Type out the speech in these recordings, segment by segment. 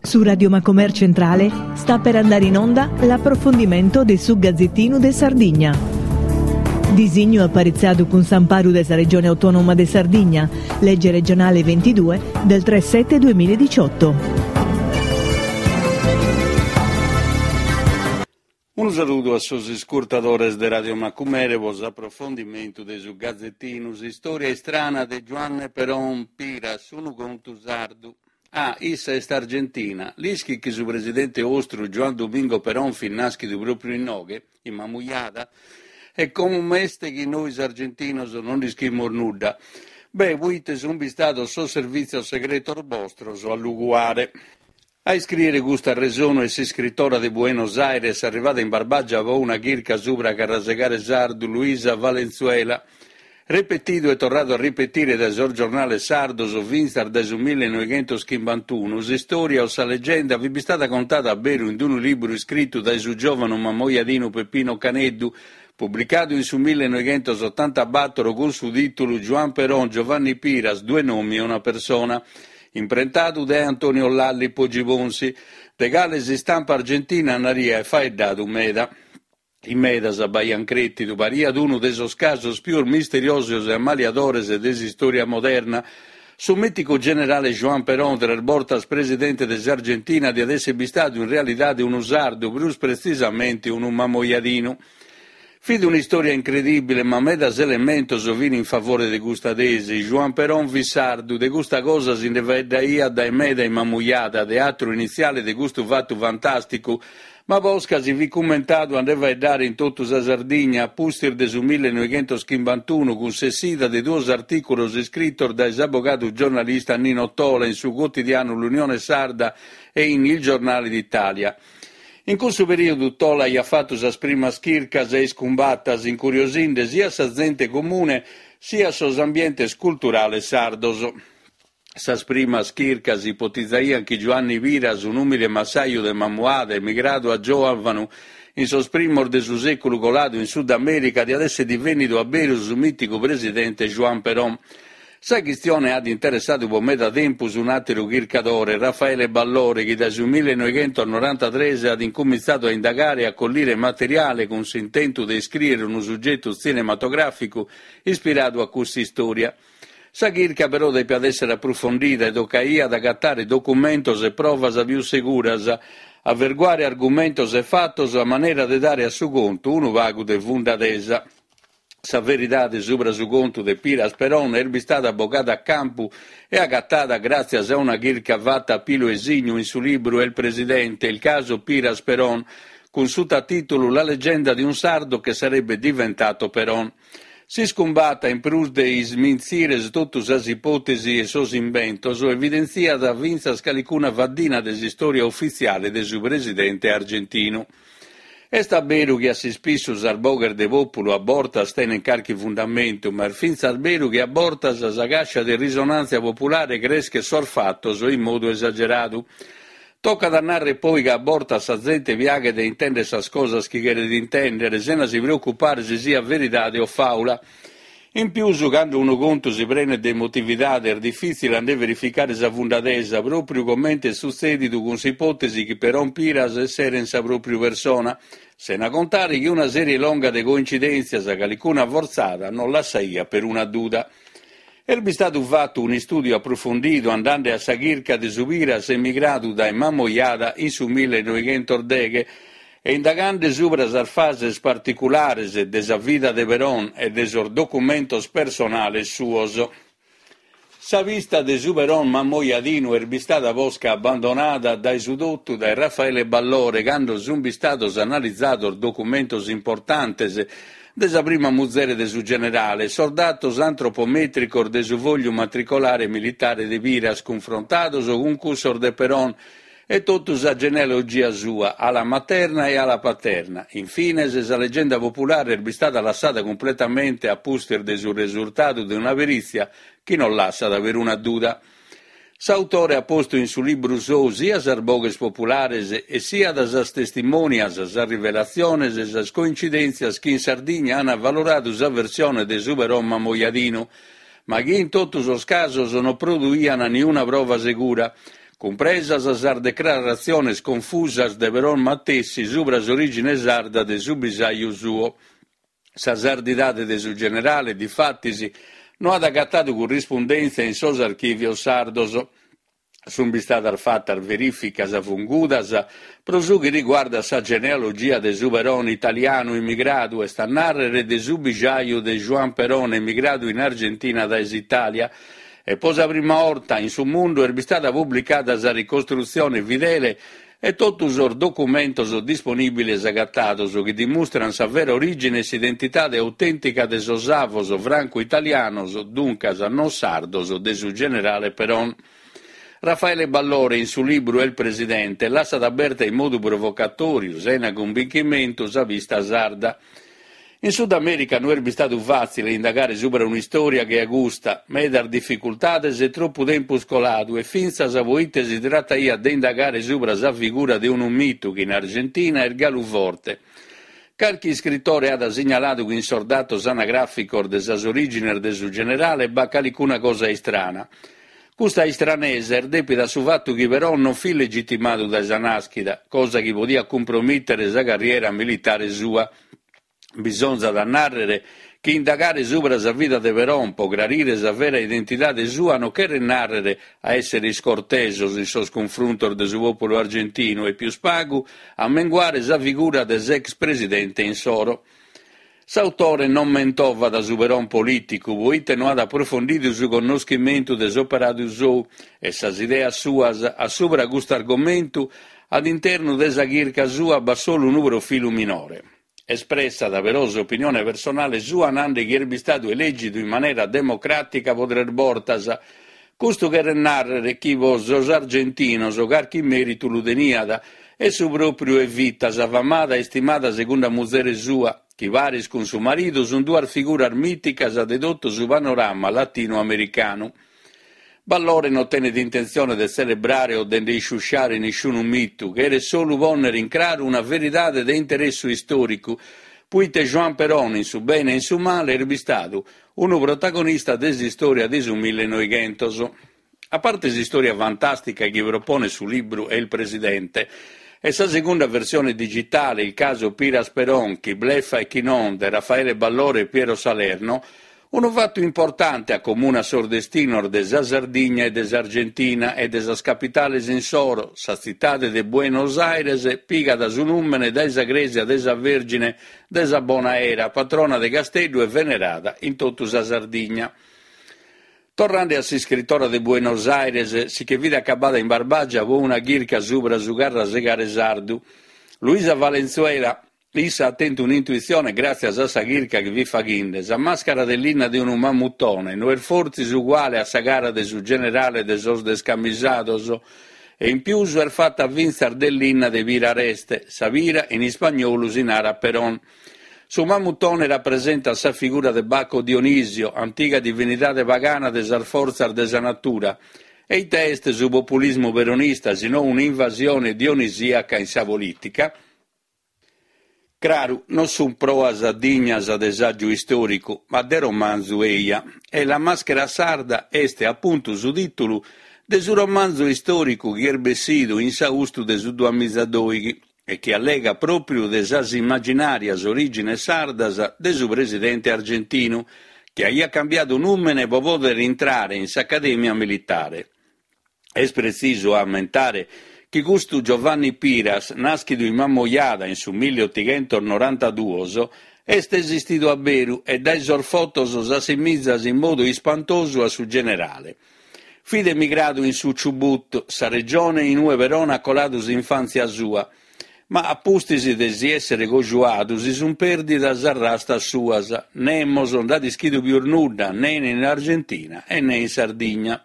Su Radio Macomer Centrale sta per andare in onda l'approfondimento de su Gazettinu de Sardigna. Disignu aparitzadu cun s'amparu de sa Regione Autonoma de Sardigna, legge regionale 22 del 3 7 2018. Unu saludu a sos iscurtadores de Radio Macumere pro s'aprofondimentu de su Gazetinu S'istòria istrana de Giuanne Peron Piras, unu contu sardu. Ah, issa est argentina. L'ischit chi su presidente 'ostru Juan Domingo Peron fit nàschidu pròpriu inoghe, in Mamujada? E com'est chi nois argentinos non nd'ischimus nudda? Beh, proite sunt bistados sos servìtzios segretos bostros a lu cuare. A iscrìere custu arresonu est s'iscritora de Buenos Aires arrivada in Barbàgia pro una chirca subra Carrasegare Sardu Luisa Valenzuela. Repetidu e torradu a ripetire dae sos giornales sardos fintzas dae su millenoighentoschimbantuno, s'istòria o sa legenda fit bistada contada a beru in unu libru iscritu dae su giòvanu mamoiadinu Peppino Caneddu, publicadu in su millenoighentosottantabatoro cun su tìtulu Juan Perón, Giovanni Piras, due nomi e una persona. Imprentadu dae Antonio Lalli Poggibonsi, de cale s'istampa argentina nd'aiat faeddadu meda. In medas b'aiant crètidu, pariat unu de sos casos pius misteriosos e ammaliadores de s'istòria moderna. Su mìticu generale Juan Perón, tres bortas presidente de s'Argentina, diat èssere bistadu in realidade unu sardu, prus pretzisamente unu mamoiadinu. Fit un'istòria incredìbile, ma medas elementos fin in favore de custa tesi. Juan Perón fit sardu, de custa cosa si nde faeddaiat dae meda in Mamujada, teatru initziale de custu fatu fantàsticu, ma posca si fit cumentadu a nde faeddare in totu sa Sardigna a pustis de su millenoighentoschimbantuno cun s'essida de duos artìculos iscritos dae s'abogadu giornalista Nino Tola in su cuotidianu L'Unione Sarda e in Il Giornale d'Italia. In cussu perìodu Tola aiat fatu sas primas chircas e iscumbatas, incuriosinde siat sa zente comune siat sos ambientes culturales sardos. Sas primas chircas ipotizaiant chi Giuanni Piras, un'ùmile massaju de Mamuada, emigradu a giòvanu in sos primos de su sèculu coladu in Sud Amèrica, diat èssere divènnidu a beru su mìticu presidente Juan Perón. Sa chistione at interessadu pro meda tempus un'àteru chircadore, Raffaele Ballore, chi dae su millenoighentos-norantatres at incumintzadu a indagare e a collire materiale cun s'intentu de iscrìere unu sugetu tzinematogràficu ispiradu a custa istòria. Sa chirca però depiat èssere aprufondida e tocaiat agatare documentos e provas pius seguras, averguare argumentos e fatos a manera de dare a su contu unu pagu de fundadesa. Sa veridade subra su contu de Piras Peron est bistada bogada a campu e agatada gràtzias a una chirca fata a pilu e signu in su libru El Presidente, il caso Piras Peron, cun sutatìtulu La leggenda di un sardo che sarebbe diventato Peron. S'iscumbata, in prus de ismintzire totu sas ipòtesi e sos imbentos, evidentziat fintzas calicuna faddina de s'istòria ufitziale de su presidente argentinu. Est a beru chi a s'ispissu sas boghes de pòpulu a bortas tenent carchi fundamentu, ma est fintzas beru chi a bortas sa càscia de risonàntzia populare creschet sos fatos in modu esageradu. Tocat a nàrrere poi ca a bortas sa zente piaghet de intèndere sas cosas chi cheret intèndere, sena si preocupare si siat veridade o fàula. In pius, cando unu contu si prenet de emotividade est difìtzile a nde verificare sa fundadesa, pròpriu comente est sutzèdidu cun s'ipòtesi chi Peron Piras esseren sa pròpriu persona, sena contare chi una sèrie longa de coincidèntzias, calicuna fortzada, non lassaiat peruna duda. Est bistadu fatu un'istùdiu aprofundidu andende a sa chirca de su Piras emigradu dae Mamoiada in su millenoighentos-deghe e indagande subra sas fases particulares de sa vida de Perón e de sos documentos personales suos. Sa pista de su Perón mamoiadinu est bistada posca abbandonada dae su totu dae Raffaele Ballore cando sunt bistados analizados documentos importantes de sa prima muzere de su generale e sos datos antropomètricos de su fogliu matricolare militare de Piras cunfrontados cun cussos de Perón e totu sa genealogia sua, ala materna e ala paterna. In fines, sa legenda populare est bistada lassada cumpletamente a pustis de su resurtadu de una perìtzia chi non lassat peruna duda. S'autore at postu in su libru sou sia sas boghes populares e siat sas testimonias, sas rivelatziones e sas coincidèntzias chi in Sardigna ant avaloradu sa versione de su Perón mamoiadinu, ma chi in totu sos casos non produiant niuna prova segura. cumpresas sas decraratziones confusas de Perón matessi subra s'orìgine sarda de su bisaju suo. Sa sardidade de su generale, difatis, no at agatadu currispundèntzia in sos archìvios sardos. Sunt bistadas fatas verìficas fungudas pro su chi riguardat sa genealogia de su Perón italianu immigradu, est a nàrrere de su bijaju de Juan Perón emigradu in Argentina dae s'Itàlia, e pro sa prima 'orta in su mundu est bistada publicada sa ricostrutzione fidele e totu sos documentos disponìbiles agatados chi dimustrant sa vera orìgine e s'identidade autèntica de sos avos francu-italianos, duncas non sardos, de su generale Perón. Raffaele Ballore in su libru El Presidente lassat aberta in modu provocatòriu, sena cumbinchimentu, sa pista sarda. In Sud Amèrica no est bistadu fàtzile indagare subra un'istòria che a custa, medas dificultades e tropu tempus coladu e fintzas pro ite si trataiat de indagare subra sa figura de unu mitu chi in Argentina est galu forte. Carchi iscritore at signaladu chi in sos datos anagràficos de sas orìgines de su generale b'at calicuna cosa istrana. Custa istranesa est dèpida a su fatu chi Perón non fit legitimadu dae sa nàschida, cosa chi podiat cumpromìtere sa carriera militare sua. Bisonzat a nàrrere chi indagare subra sa vida de Perón pro crarire sa vera identidade sua non cheret nàrrere a èssere iscortesos in sos cunfruntos de su pòpulu argentinu e pius pagu a menguare sa figura de s'ex presidente insoro. S'autore non mentovat su Perón polìticu, pro ite no at aprofondidu su connoschimentu de s'operadu sou e sas ideas suas a subra custu argomentu, a internu de sa chirca sua b'at solu unu profilu minore. Espressat però s'opinione personale sua nande chi est bistadu elègidu in manera democràtica pro tres bortas. Custu cheret nàrrere chi pro sos argentinos carchi mèritu lu teniat, e su pròpriu Evita, sa famada e istimada segunda muzere sua, chi paris cun su maridu sunt duas figuras mìticas de totu su panorama latinu-americanu. Ballore no tenet intentzione de tzelebrare o de nde isciusciare nisciunu mitu, cheret solu pònnere in craru una veridade de interessu istòricu, puite Juan Perón in su bene e in su male est bistadu unu protagonista de s'istòria de su millenoighentos. A parte s'istòria fantàstica chi proponet su libru El Presidente e sa segunda versione digitale Il caso Piras Perón, chi bleffa e chi non de Raffaele Ballore e Piero Salerno, unu fatu importante acomunat sos destinos de sa Sardigna e de s'Argentina e de sas capitales insoro, sa tzitade de Buenos Aires pigat su nùmene dae sa crèsia de sa Vèrgine de sa Bona Era, patrona de Casteddu e venerada in totu sa Sardigna. Torrande a s'iscritora de Buenos Aires, si che fit acabada in Barbàgia pro una chirca subra su carrasegare sardu. Luisa Valenzuela, issa at tentu un'intuitzione gràtzias a sa chirca chi fit faghinde, sa màscara de linna de unu mamutone no est fortzis uguale a sa cara de su generale de sos descamisados? E in pius est fata fintzas de linna de pira areste, sa pira in ispagnolu si narat Perón. Su mamutone rapresentat sa figura de Bacco Dionisio, antiga divinidade pagana de sas fortzas de sa natura. E ite est su populismu peronista si no un'invasione dionisìaca in sa polìtica? Craru, non sunt proas dignas de sàgiu istòricu, ma de romanzu eja. E La maschera sarda est apuntu su tìtulu de su romanzu istòricu chi est bessidu in s'austu de su duamizadoighi. e chi allegat pròpriu de sas immaginàrias orìgines sardas de su presidente argentinu, chi aiat cambiadu nùmene pro pòdere intrare in s'Acadèmia Militare. Est pretzisu a ammentare chi custu Giovanni Piras, nàschidu in Mamoiada in su milliotighentosnorantaduos, est esistidu a beru e dae sos fotos s'assimizat in modu ispantosu a su generale. Fit emigradu in su Chubut, sa regione in ue Perón at coladu s'infàntzia sua, ma a pustis de si èssere cojuadu si sunt pèrdidas sas rastas suas, nemos nd'at ischidu pius nudda, nen in Argentina e ne in Sardigna.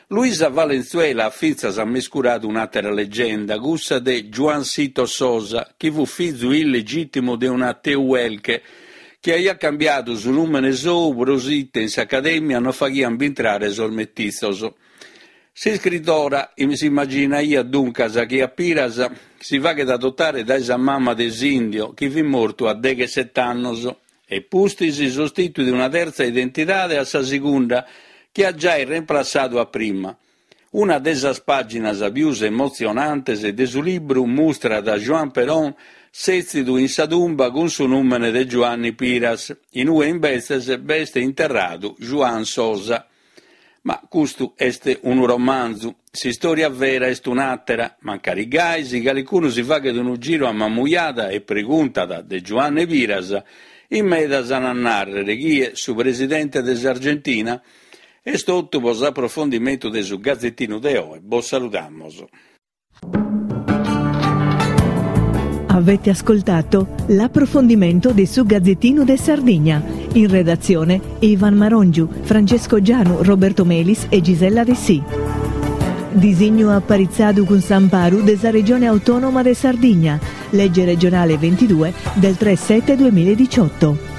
Luisa Valenzuela at fintzas ammescuradu un'àtera legenda, cussa de Juancito Sosa, chi fut fizu illegìtimu de una Tehuelche, chi aiat cambiadu su nùmene sou pro s'ite in s'Acadèmia non faghiant bintrare sos metitzos. S'iscritora s'immaginaiat duncas chi a Piras si faghet adotare dae sa mama de s'Indio, chi fit mortu a degheset'annos, e pustis sostituit una tertza identidade a sa segunda, chi at giai remplassadu a prima. Una de sas pàginas pius emotzionantes de su libru mustrat a Juan Perón sètzidu in sa tumba cun su nùmene de Giuanni Piras, in ue imbetzes b'est interradu Juan Sosa. Ma custu est unu romanzu, s'istòria vera est un'àtera, mancari gai si calicunu si faghet unu giru a Mamujada e preguntat de Giuanne Piras, in medas an a nàrrere chie, su presidente de s'Argentina? Est totu pro s'aprofondimentu de su Gazetinu de oe, bos saludamos. Avete ascoltato l'approfondimento de su Gazzettino de Sardigna. In redazione Ivan Marongiu, Francesco Gianu, Roberto Melis e Gisella Dessì. Disignu aparitzadu cun s'amparu de sa Regione Autonoma de Sardigna, legge regionale 22 del 3 7 2018.